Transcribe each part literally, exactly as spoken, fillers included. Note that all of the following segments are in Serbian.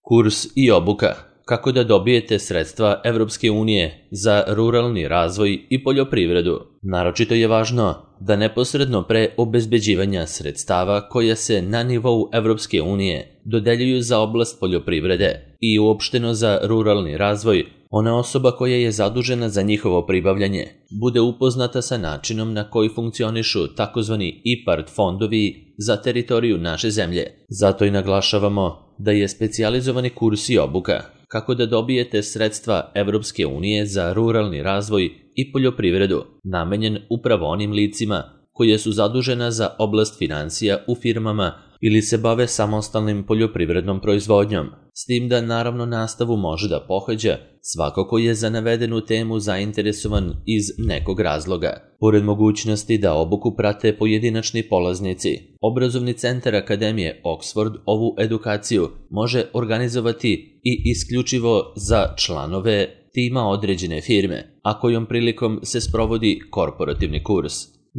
Kurs i obuka. Kako da dobijete sredstva Evropske unije za ruralni razvoj i poljoprivredu. Naročito je važno da neposredno pre obezbeđivanja sredstava koja se na nivou Evropske unije dodeljuju za oblast poljoprivrede i uopšteno za ruralni razvoj, ona osoba koja je zadužena za njihovo pribavljanje bude upoznata sa načinom na koji funkcionišu takozvani IPARD fondovi za teritoriju naše zemlje. Zato i naglašavamo da je specijalizovani kurs i obuka kako da dobijete sredstva Evropske unije za ruralni razvoj i poljoprivredu namenjen upravo onim licima koje su zadužena za oblast financija u firmama ili se bave samostalnim poljoprivrednom proizvodnjom, s tim da naravno nastavu može da pohađa svako ko je za navedenu temu zainteresovan iz nekog razloga. Pored mogućnosti da obuku prate pojedinačni polaznici, Obrazovni centar Akademije Oxford ovu edukaciju može organizovati i isključivo za članove tima određene firme, a kojom prilikom se sprovodi korporativni kurs.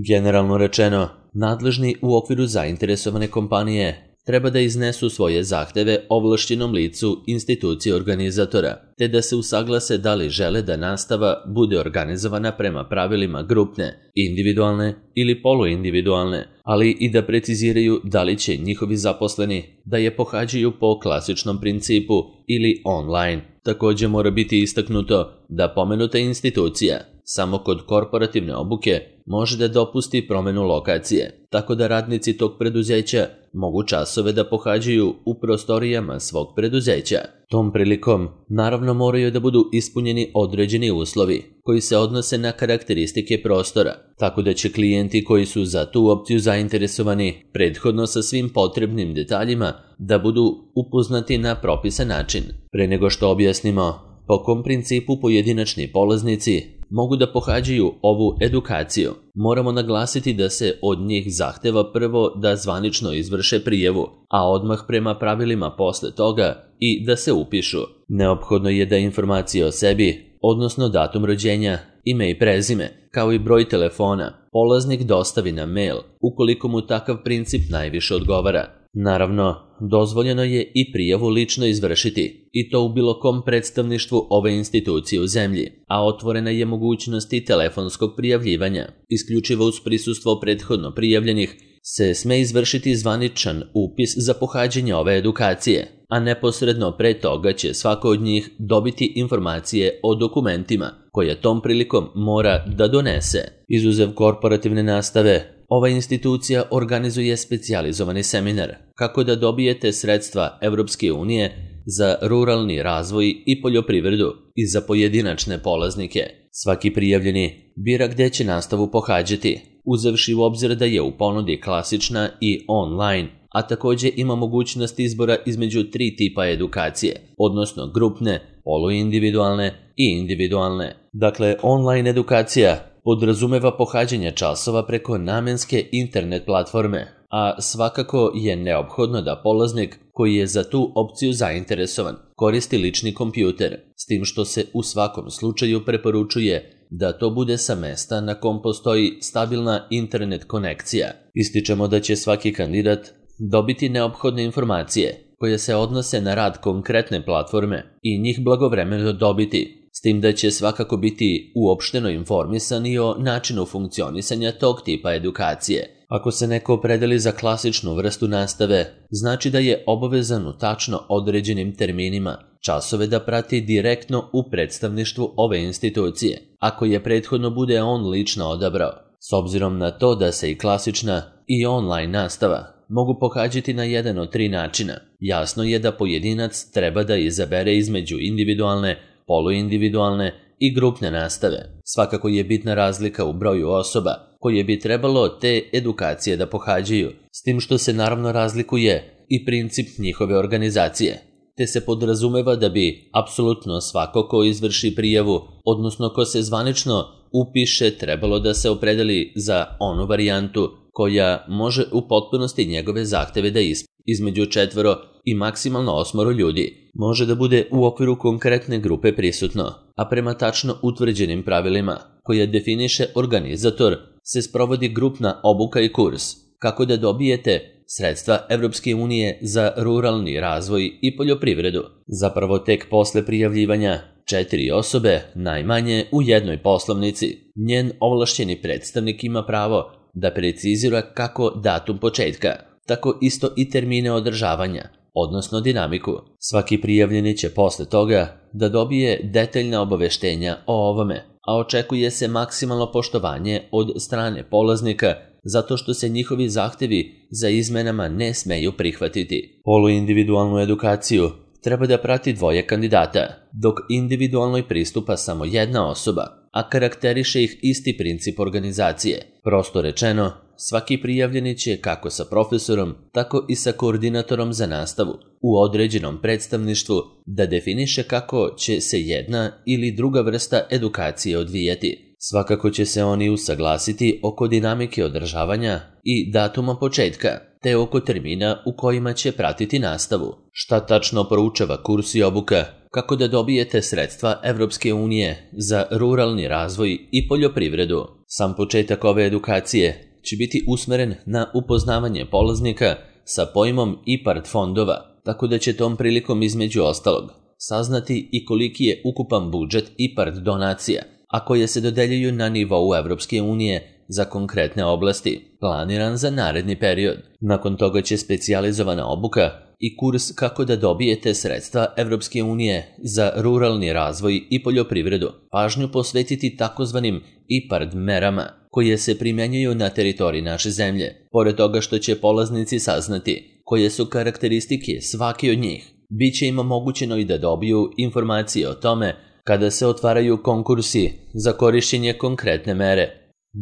Generalno rečeno, nadležni u okviru zainteresovane kompanije treba da iznesu svoje zahteve ovlašćenom licu institucije organizatora, te da se usaglase da li žele da nastava bude organizovana prema pravilima grupne, individualne ili poluindividualne, ali i da preciziraju da li će njihovi zaposleni da je pohađaju po klasičnom principu ili online. Također mora biti istaknuto da pomenuta institucija samo kod korporativne obuke može da dopusti promenu lokacije, tako da radnici tog preduzeća mogu časove da pohađaju u prostorijama svog preduzeća. Tom prilikom naravno moraju da budu ispunjeni određeni uslovi koji se odnose na karakteristike prostora, tako da će klijenti koji su za tu opciju zainteresovani prethodno sa svim potrebnim detaljima da budu upoznati na propisan način. Pre nego što objasnimo po kom principu pojedinačni polaznici mogu da pohađaju ovu edukaciju, moramo naglasiti da se od njih zahteva prvo da zvanično izvrše prijavu, a odmah prema pravilima posle toga i da se upišu. Neophodno je da informacije o sebi, odnosno datum rođenja, ime i prezime, kao i broj telefona, polaznik dostavi na mail, ukoliko mu takav princip najviše odgovara. Naravno, dozvoljeno je i prijavu lično izvršiti, i to u bilo kom predstavništvu ove institucije u zemlji, a otvorena je mogućnost i telefonskog prijavljivanja. Isključivo uz prisustvo prethodno prijavljenih se sme izvršiti zvaničan upis za pohađanje ove edukacije, a neposredno pre toga će svako od njih dobiti informacije o dokumentima koje tom prilikom mora da donese. Izuzev korporativne nastave, ova institucija organizuje specijalizovani seminar kako da dobijete sredstva Evropske unije za ruralni razvoj i poljoprivredu i za pojedinačne polaznike. Svaki prijavljeni bira gde će nastavu pohađati, uzevši u obzir da je u ponudi klasična i online, a također ima mogućnost izbora između tri tipa edukacije, odnosno grupne, poluindividualne i individualne. Dakle, online edukacija podrazumeva pohađanje časova preko namenske internet platforme, a svakako je neophodno da polaznik koji je za tu opciju zainteresovan koristi lični kompjuter, s tim što se u svakom slučaju preporučuje da to bude sa mesta na kom postoji stabilna internet konekcija. Ističemo da će svaki kandidat dobiti neophodne informacije koje se odnose na rad konkretne platforme i njih blagovremeno dobiti, s tim da će svakako biti uopšteno informisan i o načinu funkcionisanja tog tipa edukacije. Ako se neko opredeli za klasičnu vrstu nastave, znači da je obavezan u tačno određenim terminima časove da prati direktno u predstavništvu ove institucije, ako je prethodno bude on lično odabrao. S obzirom na to da se i klasična i online nastava mogu pohađati na jedan od tri načina, jasno je da pojedinac treba da izabere između individualne, poluindividualne i grupne nastave. Svakako je bitna razlika u broju osoba koje bi trebalo te edukacije da pohađaju, s tim što se naravno razlikuje i princip njihove organizacije, te se podrazumeva da bi apsolutno svako ko izvrši prijavu, odnosno ko se zvanično upiše, trebalo da se opredeli za onu varijantu koja može u potpunosti njegove zahteve da ispuni. Između četvoro i maksimalno osmoro ljudi može da bude u okviru konkretne grupe prisutno, a prema tačno utvrđenim pravilima koje definiše organizator se sprovodi grupna obuka i kurs, kako da dobijete sredstva Evropske unije za ruralni razvoj i poljoprivredu. Zapravo tek posle prijavljivanja četiri osobe, najmanje u jednoj poslovnici, njen ovlašćeni predstavnik ima pravo da precizira kako datum početka, tako isto i termine održavanja, odnosno dinamiku. Svaki prijavljeni će posle toga da dobije detaljna obaveštenja o ovome, a očekuje se maksimalno poštovanje od strane polaznika zato što se njihovi zahtevi za izmenama ne smeju prihvatiti. Poluindividualnu edukaciju treba da prati dvoje kandidata, dok individualnoj pristupa samo jedna osoba, a karakteriše ih isti princip organizacije. Prosto rečeno, svaki prijavljeni će kako sa profesorom, tako i sa koordinatorom za nastavu u određenom predstavništvu da definiše kako će se jedna ili druga vrsta edukacije odvijati. Svakako će se oni usaglasiti oko dinamike održavanja i datuma početka, te oko termina u kojima će pratiti nastavu. Šta tačno proučava kurs i obuka? Kako da dobijete sredstva Evropske unije za ruralni razvoj i poljoprivredu? Sam početak ove edukacije će biti usmeren na upoznavanje polaznika sa pojmom IPARD fondova, tako da će tom prilikom između ostalog saznati i koliki je ukupan budžet IPARD donacija, a koje se dodeljuju na nivou Evropske unije za konkretne oblasti, planiran za naredni period. Nakon toga će specijalizovana obuka i kurs kako da dobijete sredstva Evropske unije za ruralni razvoj i poljoprivredu pažnju posvetiti takozvanim IPARD merama, koje se primjenjuju na teritoriji naše zemlje. Pored toga što će polaznici saznati koje su karakteristike svake od njih, bit će im omogućeno i da dobiju informacije o tome kada se otvaraju konkursi za korišćenje konkretne mere.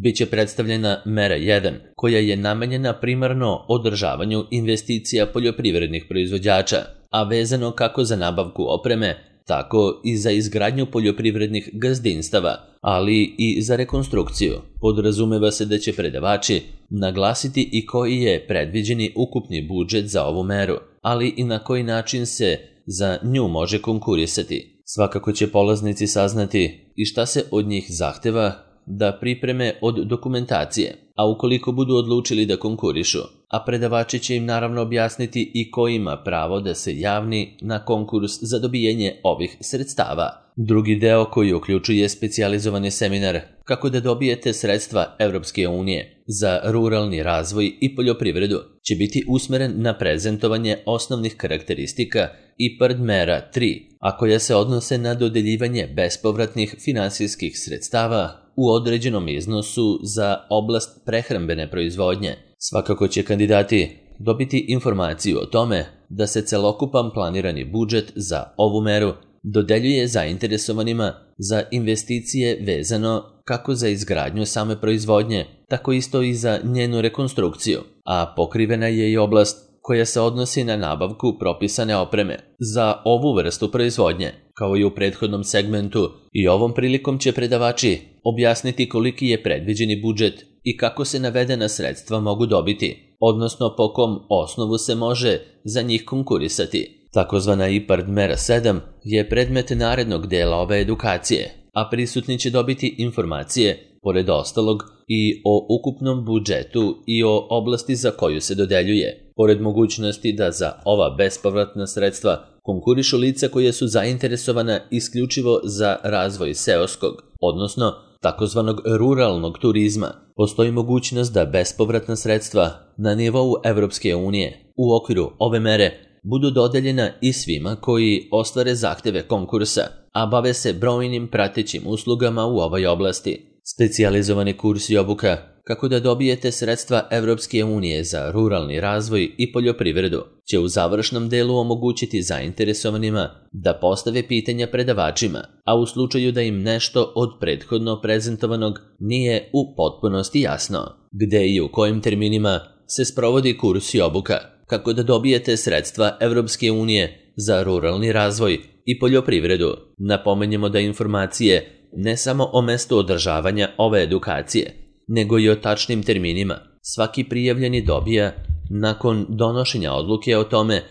Biće predstavljena mera jedan, koja je namenjena primarno održavanju investicija poljoprivrednih proizvođača, a vezano kako za nabavku opreme, tako i za izgradnju poljoprivrednih gazdinstava, ali i za rekonstrukciju. Podrazumeva se da će predavači naglasiti i koji je predviđeni ukupni budžet za ovu meru, ali i na koji način se za nju može konkurisati. Svakako će polaznici saznati i šta se od njih zahteva da pripreme od dokumentacije, a ukoliko budu odlučili da konkurišu, a predavači će im naravno objasniti i ko ima pravo da se javni na konkurs za dobijanje ovih sredstava. Drugi deo koji uključuje specijalizovani seminar kako da dobijete sredstva Evropske unije za ruralni razvoj i poljoprivredu će biti usmeren na prezentovanje osnovnih karakteristika IPARD mera tri, a koja se odnose na dodeljivanje bespovratnih finansijskih sredstava u određenom iznosu za oblast prehrambene proizvodnje. Svakako će kandidati dobiti informaciju o tome da se celokupan planirani budžet za ovu meru dodeljuje zainteresovanima za investicije vezano kako za izgradnju same proizvodnje, tako isto i za njenu rekonstrukciju, a pokrivena je i oblast koja se odnosi na nabavku propisane opreme za ovu vrstu proizvodnje. Kao i u prethodnom segmentu, i ovom prilikom će predavači objasniti koliki je predviđeni budžet i kako se navedena sredstva mogu dobiti, odnosno po kom osnovu se može za njih konkurisati. Takozvana IPARD mera sedam je predmet narednog dela ove edukacije, a prisutni će dobiti informacije, pored ostalog, i o ukupnom budžetu i o oblasti za koju se dodeljuje, pored mogućnosti da za ova bespovratna sredstva konkurišu lica koje su zainteresovana isključivo za razvoj seoskog, odnosno takozvanog ruralnog turizma. Postoji mogućnost da bespovratna sredstva na nivou Evropske unije u okviru ove mere budu dodeljena i svima koji ostvare zahteve konkursa, a bave se brojnim pratećim uslugama u ovoj oblasti. Specijalizovani kurs i obuka kako da dobijete sredstva Evropske unije za ruralni razvoj i poljoprivredu će u završnom delu omogućiti zainteresovanima da postave pitanja predavačima, a u slučaju da im nešto od prethodno prezentovanog nije u potpunosti jasno, gde i u kojim terminima se sprovodi kurs i obuka kako da dobijete sredstva Evropske unije za ruralni razvoj i poljoprivredu. Napomenjemo da informacije ne samo o mestu održavanja ove edukacije, nego i o tačnim terminima svaki prijavljeni dobija nakon donošenja odluke o tome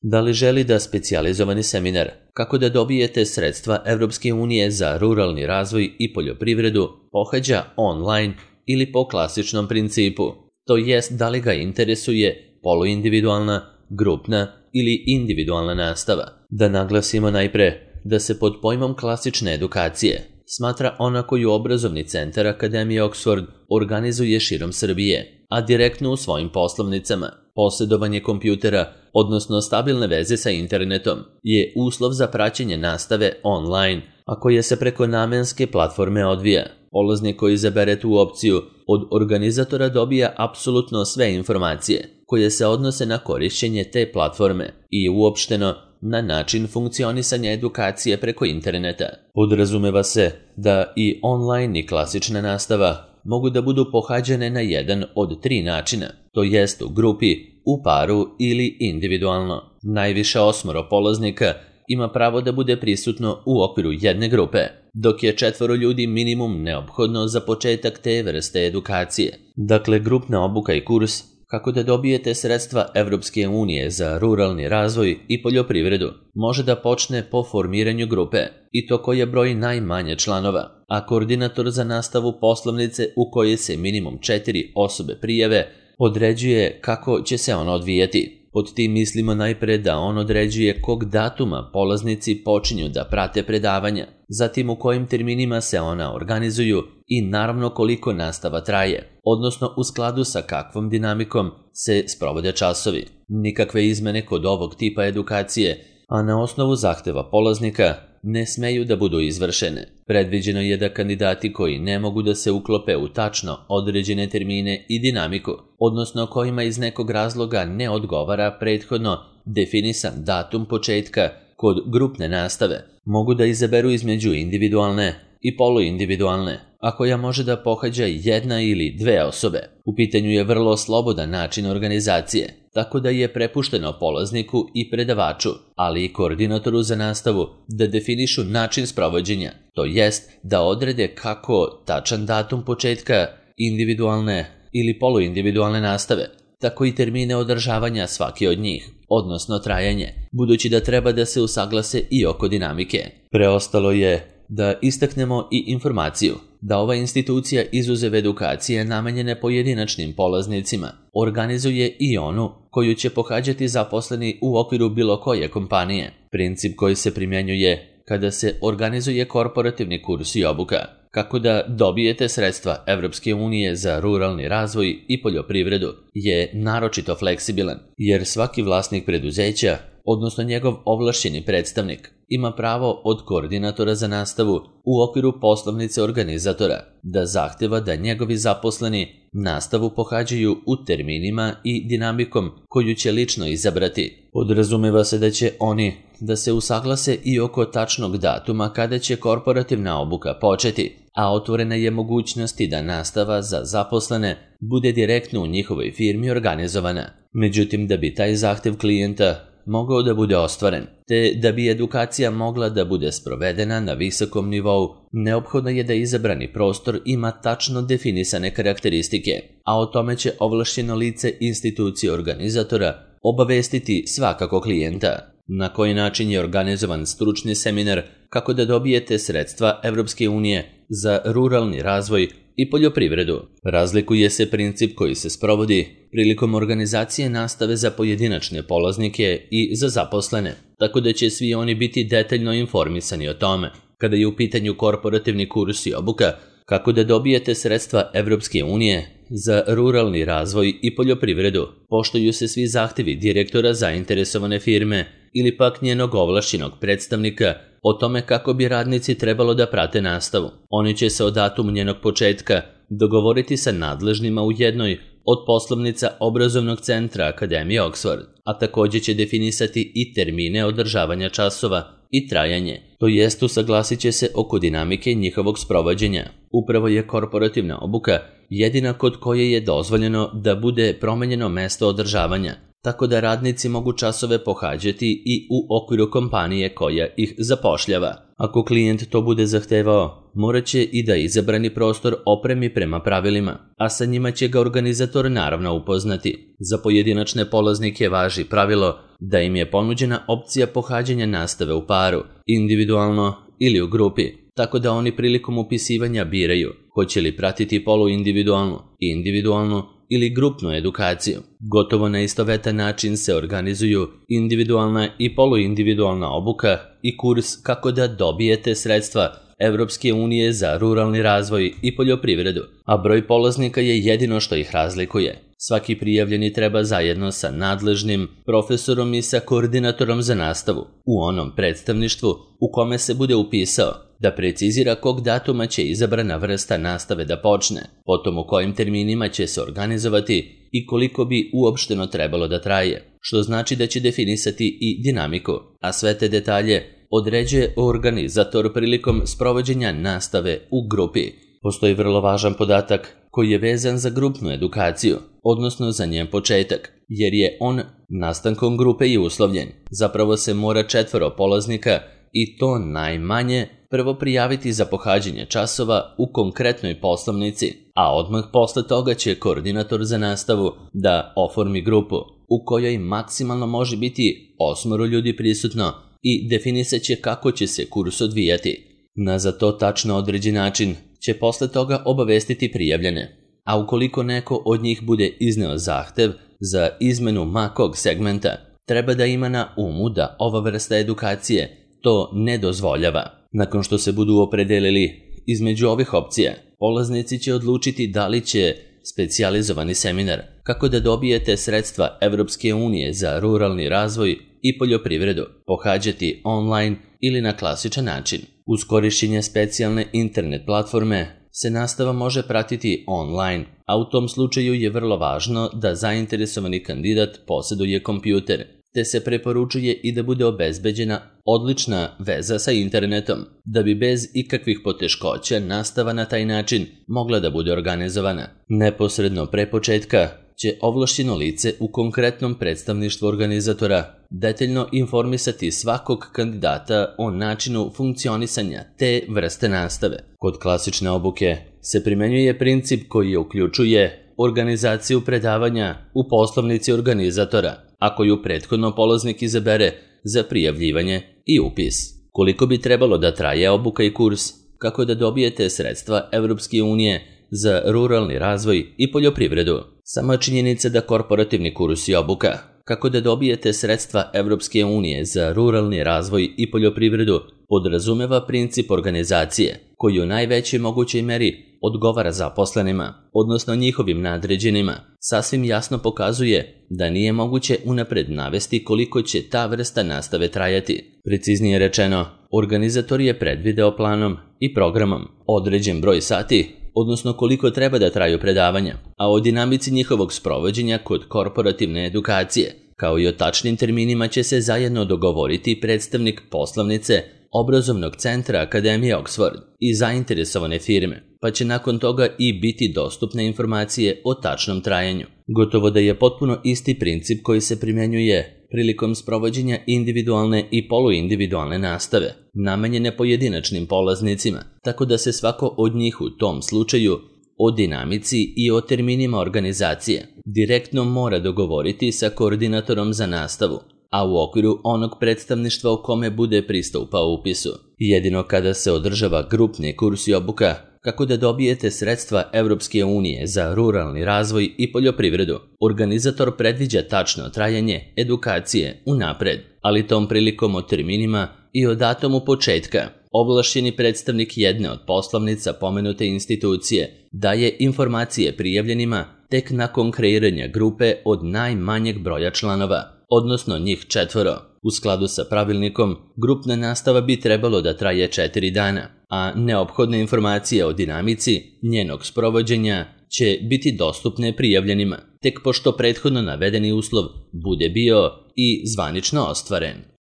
da li želi da specijalizovani seminar kako da dobijete sredstva Evropske unije za ruralni razvoj i poljoprivredu pohađa online ili po klasičnom principu, to jest da li ga interesuje poluindividualna, grupna ili individualna nastava. Da naglasimo najpre da se pod pojmom klasične edukacije smatra ona koju obrazovni centar Akademije Oxford organizuje širom Srbije, a direktno u svojim poslovnicama. Posjedovanje kompjutera, odnosno stabilne veze sa internetom, je uslov za praćenje nastave online, a koje se preko namenske platforme odvija. Polaznik koji izabere tu opciju od organizatora dobija apsolutno sve informacije koje se odnose na korišćenje te platforme i uopšteno na način funkcionisanja edukacije preko interneta. Podrazumeva se da i online i klasična nastava mogu da budu pohađane na jedan od tri načina, to jest u grupi, u paru ili individualno. Najviše osmoro polaznika ima pravo da bude prisutno u okviru jedne grupe, dok je četvoro ljudi minimum neophodno za početak te vrste edukacije. Dakle, grupna obuka i kurs kako da dobijete sredstva Evropske unije za ruralni razvoj i poljoprivredu može da počne po formiranju grupe, i to koja broji najmanje članova, a koordinator za nastavu poslovnice u kojoj se minimum četiri osobe prijave određuje kako će se ona odvijati. Pod tim mislimo najpre da on određuje kog datuma polaznici počinju da prate predavanja, zatim u kojim terminima se ona organizuju i naravno koliko nastava traje, odnosno u skladu sa kakvom dinamikom se sprovode časovi. Nikakve izmene kod ovog tipa edukacije, a na osnovu zahteva polaznika, ne smeju da budu izvršene. Predviđeno je da kandidati koji ne mogu da se uklope u tačno određene termine i dinamiku, odnosno kojima iz nekog razloga ne odgovara prethodno definisan datum početka kod grupne nastave, mogu da izaberu između individualne i poluindividualne, a koja može da pohađa jedna ili dve osobe. U pitanju je vrlo slobodan način organizacije, tako da je prepušteno polazniku i predavaču, ali i koordinatoru za nastavu da definišu način sprovođenja, to jest da odrede kako tačan datum početka individualne ili poluindividualne nastave, tako i termine održavanja svake od njih, odnosno trajanje, budući da treba da se usaglase i oko dinamike. Preostalo je da istaknemo i informaciju da ova institucija izuzev edukacije namenjene pojedinačnim polaznicima organizuje i onu koju će pohađati zaposleni u okviru bilo koje kompanije. Princip koji se primjenjuje kada se organizuje korporativni kurs i obuka, kako da dobijete sredstva Evropske unije za ruralni razvoj i poljoprivredu, je naročito fleksibilan, jer svaki vlasnik preduzeća, odnosno njegov ovlašćeni predstavnik, ima pravo od koordinatora za nastavu u okviru poslovnice organizatora da zahteva da njegovi zaposleni nastavu pohađaju u terminima i dinamikom koju će lično izabrati. Podrazumeva se da će oni da se usaglase i oko tačnog datuma kada će korporativna obuka početi, a otvorena je mogućnost da nastava za zaposlene bude direktno u njihovoj firmi organizovana. Međutim, da bi taj zahtev klijenta mogao da bude ostvaren, te da bi edukacija mogla da bude sprovedena na visokom nivou, neophodno je da izabrani prostor ima tačno definisane karakteristike, a o tome će ovlašćeno lice institucije organizatora obavestiti svakako klijenta. Na koji način je organizovan stručni seminar kako da dobijete sredstva Evropske unije za ruralni razvoj i poljoprivredu. Razlikuje se princip koji se sprovodi prilikom organizacije nastave za pojedinačne polaznike i za zaposlene, tako da će svi oni biti detaljno informisani o tome. Kada je u pitanju korporativni kurs i obuka, kako da dobijete sredstva Evropske unije za ruralni razvoj i poljoprivredu, poštuju se svi zahtevi direktora zainteresovane firme ili pak njenog ovlašćenog predstavnika o tome kako bi radnici trebalo da prate nastavu. Oni će se o datumu njenog početka dogovoriti sa nadležnima u jednoj od poslovnica obrazovnog centra Akademije Oxford, a također će definisati i termine održavanja časova i trajanje, to jest usaglasit će se oko dinamike njihovog sprovođenja. Upravo je korporativna obuka jedina kod koje je dozvoljeno da bude promenjeno mesto održavanja, tako da radnici mogu časove pohađati i u okviru kompanije koja ih zapošljava. Ako klijent to bude zahtevao, morat će i da izabrani prostor opremi prema pravilima, a sa njima će ga organizator naravno upoznati. Za pojedinačne polaznike važi pravilo da im je ponuđena opcija pohađanja nastave u paru, individualno ili u grupi, tako da oni prilikom upisivanja biraju hoće li pratiti poluindividualnu, individualnu ili grupnu edukaciju. Gotovo na istovetan način se organizuju individualna i poluindividualna obuka i kurs kako da dobijete sredstva Evropske unije za ruralni razvoj i poljoprivredu, a broj polaznika je jedino što ih razlikuje. Svaki prijavljeni treba zajedno sa nadležnim profesorom i sa koordinatorom za nastavu u onom predstavništvu u kome se bude upisao da precizira kog datuma će izabrana vrsta nastave da počne, potom u kojim terminima će se organizovati i koliko bi uopšteno trebalo da traje, što znači da će definisati i dinamiku, a sve te detalje određuje organizator prilikom sprovođenja nastave u grupi. Postoji vrlo važan podatak koji je vezan za grupnu edukaciju, odnosno za njen početak, jer je on nastankom grupe i uslovljen. Zapravo se mora četvoro polaznika, i to najmanje, prvo prijaviti za pohađanje časova u konkretnoj poslovnici, a odmah posle toga će koordinator za nastavu da oformi grupu, u kojoj maksimalno može biti osmoro ljudi prisutno i definisat će kako će se kurs odvijati. Na za to tačno određen način će posle toga obavestiti prijavljene, a ukoliko neko od njih bude izneo zahtev za izmenu ma kog segmenta, treba da ima na umu da ova vrsta edukacije to ne dozvoljava. Nakon što se budu opredelili između ovih opcija, polaznici će odlučiti da li će specijalizovani seminar kako da dobijete sredstva Evropske unije za ruralni razvoj i poljoprivredu pohađati online ili na klasičan način. Uz korišćenje specijalne internet platforme se nastava može pratiti online, a u tom slučaju je vrlo važno da zainteresovani kandidat posjeduje kompjuter, te se preporučuje i da bude obezbeđena odlična veza sa internetom, da bi bez ikakvih poteškoća nastava na taj način mogla da bude organizovana. Neposredno pre početka će ovlašćeno lice u konkretnom predstavništvu organizatora detaljno informisati svakog kandidata o načinu funkcionisanja te vrste nastave. Kod klasične obuke se primenjuje princip koji uključuje organizaciju predavanja u poslovnici organizatora, a koju prethodno polaznik izabere za prijavljivanje i upis. Koliko bi trebalo da traje obuka i kurs kako da dobijete sredstva Evropske unije za ruralni razvoj i poljoprivredu? Sama činjenica da korporativni kurs i obuka kako da dobijete sredstva Evropske unije za ruralni razvoj i poljoprivredu podrazumeva princip organizacije koji u najvećoj mogućoj meri odgovara zaposlenima, odnosno njihovim nadređenima, sasvim jasno pokazuje da nije moguće unapred navesti koliko će ta vrsta nastave trajati. Preciznije rečeno, organizator je predvideo planom i programom određen broj sati, odnosno koliko treba da traju predavanja, a o dinamici njihovog sprovođenja kod korporativne edukacije, kao i o tačnim terminima će se zajedno dogovoriti predstavnik poslovnice obrazovnog centra Akademije Oxford i zainteresovane firme, pa će nakon toga i biti dostupne informacije o tačnom trajanju. Gotovo da je potpuno isti princip koji se primjenjuje prilikom sprovođenja individualne i poluindividualne nastave, namenjene pojedinačnim polaznicima, tako da se svako od njih u tom slučaju o dinamici i o terminima organizacije direktno mora dogovoriti sa koordinatorom za nastavu, a u okviru onog predstavništva u kome bude pristupao upisu. Jedino kada se održava grupni kurs i obuka kako da dobijete sredstva Evropske unije za ruralni razvoj i poljoprivredu, organizator predviđa tačno trajanje edukacije unapred, ali tom prilikom o terminima i o datumu početka ovlašćeni predstavnik jedne od poslovnica pomenute institucije daje informacije prijavljenima tek nakon kreiranja grupe od najmanjeg broja članova, odnosno njih četvoro. U skladu sa pravilnikom, grupna nastava bi trebalo da traje četiri dana, a neophodne informacije o dinamici njenog sprovođenja će biti dostupne prijavljenima, tek pošto prethodno navedeni uslov bude bio i zvanično ostvaren.